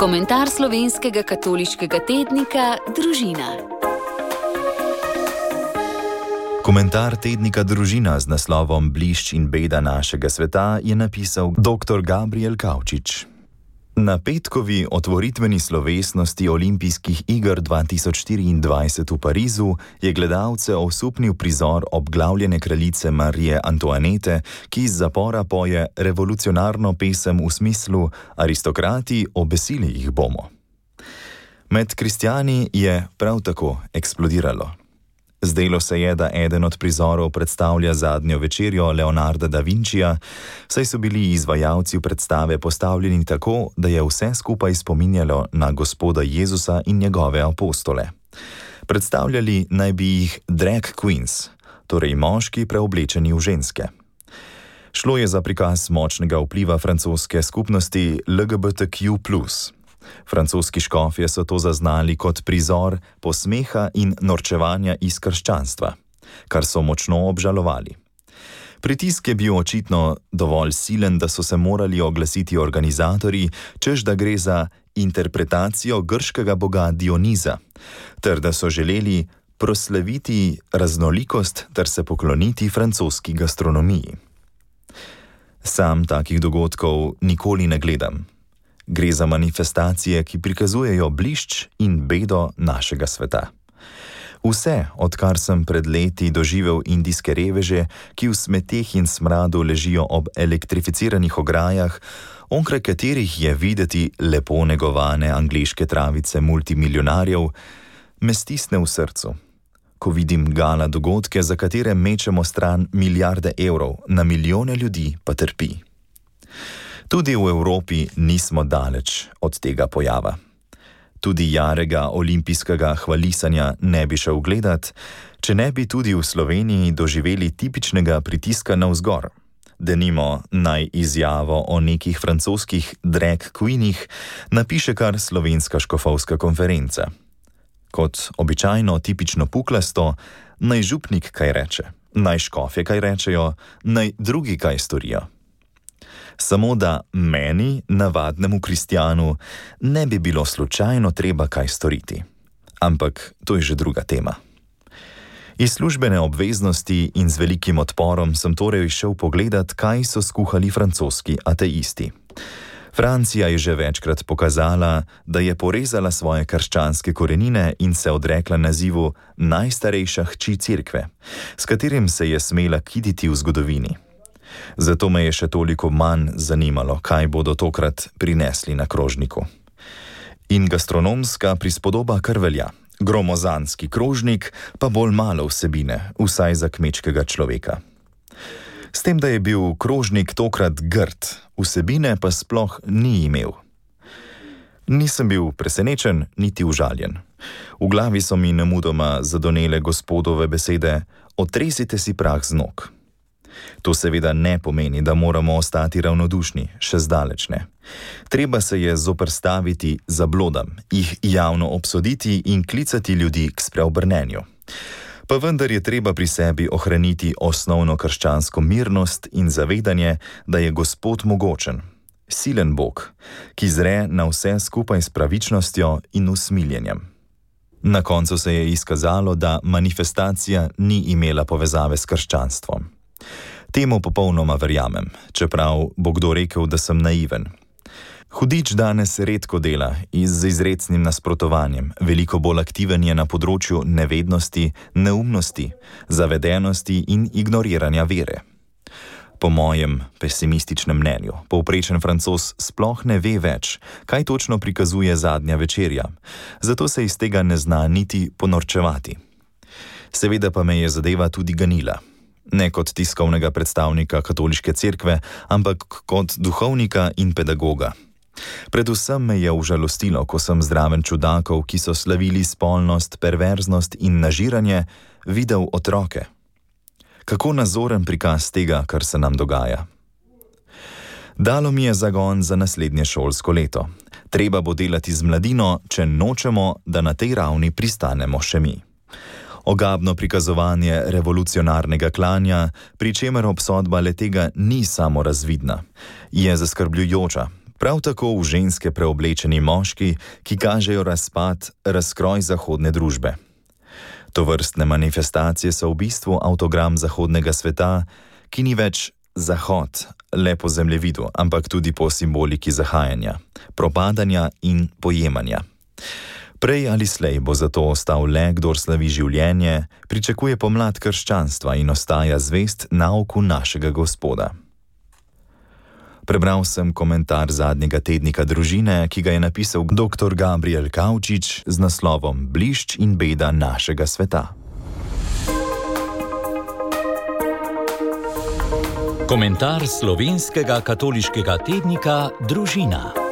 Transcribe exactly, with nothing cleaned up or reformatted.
Komentar slovenskega katoliškega tednika Družina. Komentar tednika Družina z naslovom Blišč in beda našega sveta je napisal doktor Gabriel Kavčič. Na petkovi otvoritveni slovesnosti Olimpijskih iger dva tisoč štiriindvajset v Parizu je gledalce osupnil prizor obglavljene kraljice Marije Antoinete, ki iz zapora poje revolucionarno pesem v smislu aristokrati, obesili jih bomo. Med kristjani je prav tako eksplodiralo. Zdelo se je, da eden od prizorov predstavlja zadnjo večerjo Leonarda da Vincija, saj so bili izvajalci predstave postavljeni tako, da je vse skupaj spominjalo na Gospoda Jezusa in njegove apostole. Predstavljali naj bi jih drag queens, torej moški preoblečeni v ženske. Šlo je za prikaz močnega vpliva francoske skupnosti L G B T Q plus. Francoski škofje so to zaznali kot prizor posmeha in norčevanja iz krščanstva, kar so močno obžalovali. Pritisk je bil očitno dovolj silen, da so se morali oglasiti organizatorji, češ da gre za interpretacijo grškega boga Dioniza, ter da so želeli proslaviti raznolikost ter se pokloniti francoski gastronomiji. Sam takih dogodkov nikoli ne gledam. Gre za manifestacije, ki prikazujejo blišč in bedo našega sveta. Vse, odkar sem pred leti doživel indijske reveže, ki v smeteh in smradu ležijo ob elektrificiranih ograjah, onkraj katerih je videti lepo negovane angleške travice multimilijonarjev, me stisne v srcu. Ko vidim gala dogodke, za katere mečemo stran milijarde evrov, na milijone ljudi pa trpi. Tudi v Evropi nismo daleč od tega pojava. Tudi jarega olimpijskega hvalisanja ne bi šel gledat, če ne bi tudi v Sloveniji doživeli tipičnega pritiska navzgor. Denimo naj izjavo o nekih francoskih drag queenih napiše kar Slovenska škofovska konferenca. Kot običajno tipično puklasto, naj župnik kaj reče, naj škofje kaj rečejo, naj drugi kaj storijo. Samo da meni, navadnemu kristjanu, ne bi bilo slučajno treba kaj storiti. Ampak to je že druga tema. Iz službene obveznosti in z velikim odporom sem torej šel pogledat, kaj so skuhali francoski ateisti. Francija je že večkrat pokazala, da je porezala svoje krščanske korenine in se odrekla nazivu najstarejša hči cerkve, s katerim se je smela kiditi v zgodovini. Zato me je še toliko manj zanimalo, kaj bodo tokrat prinesli na krožniku. In gastronomska prispodoba kar velja. Gromozanski krožnik pa bolj malo vsebine, vsaj za kmečkega človeka. S tem, da je bil krožnik tokrat grd, vsebine pa sploh ni imel. Nisem bil presenečen, niti užaljen. V glavi so mi nemudoma zadonele Gospodove besede: otresite si prah z nog. To seveda ne pomeni, da moramo ostati ravnodušni, še zdaleč ne. Treba se je zoperstaviti zablodam, jih javno obsoditi in klicati ljudi k spreobrnenju. Pa vendar je treba pri sebi ohraniti osnovno krščansko mirnost in zavedanje, da je Gospod mogočen, silen Bog, ki zre na vse skupaj s pravičnostjo in usmiljenjem. Na koncu se je izkazalo, da manifestacija ni imela povezave s krščanstvom. Temu popolnoma verjamem, čeprav bo kdo rekel, da sem naiven. Hudič danes redko dela z izrecnim nasprotovanjem, veliko bolj aktiven je na področju nevednosti, neumnosti, zavedenosti in ignoriranja vere. Po mojem pesimističnem mnenju, povprečen Francoz sploh ne ve več, kaj točno prikazuje zadnja večerja, zato se iz tega ne zna niti ponorčevati. Seveda pa me je zadeva tudi ganila. Ne kot tiskovnega predstavnika katoliške cerkve, ampak kot duhovnika in pedagoga. Predvsem me je užalostilo, ko sem zraven čudakov, ki so slavili spolnost, perverznost in nažiranje, videl otroke. Kako nazoren prikaz tega, kar se nam dogaja. Dalo mi je zagon za naslednje šolsko leto. Treba bo delati z mladino, če nočemo, da na tej ravni pristanemo še mi. Ogabno prikazovanje revolucionarnega klanja, pri čemer obsodba le tega ni samo razvidna, je zaskrbljujoča, prav tako v ženske preoblečeni moški, ki kažejo razpad, razkroj zahodne družbe. Tovrstne manifestacije so v bistvu avtogram zahodnega sveta, ki ni več zahod, le po zemljevidu, ampak tudi po simboliki zahajanja, propadanja in pojemanja. Prej ali slej bo zato ostal le, kdor slavi življenje, pričakuje pomlad krščanstva in ostaja zvest nauku našega Gospoda. Prebral sem komentar zadnjega tednika Družine, ki ga je napisal doktor Gabriel Kavčič z naslovom Blišč in beda našega sveta. Komentar slovenskega katoliškega tednika Družina.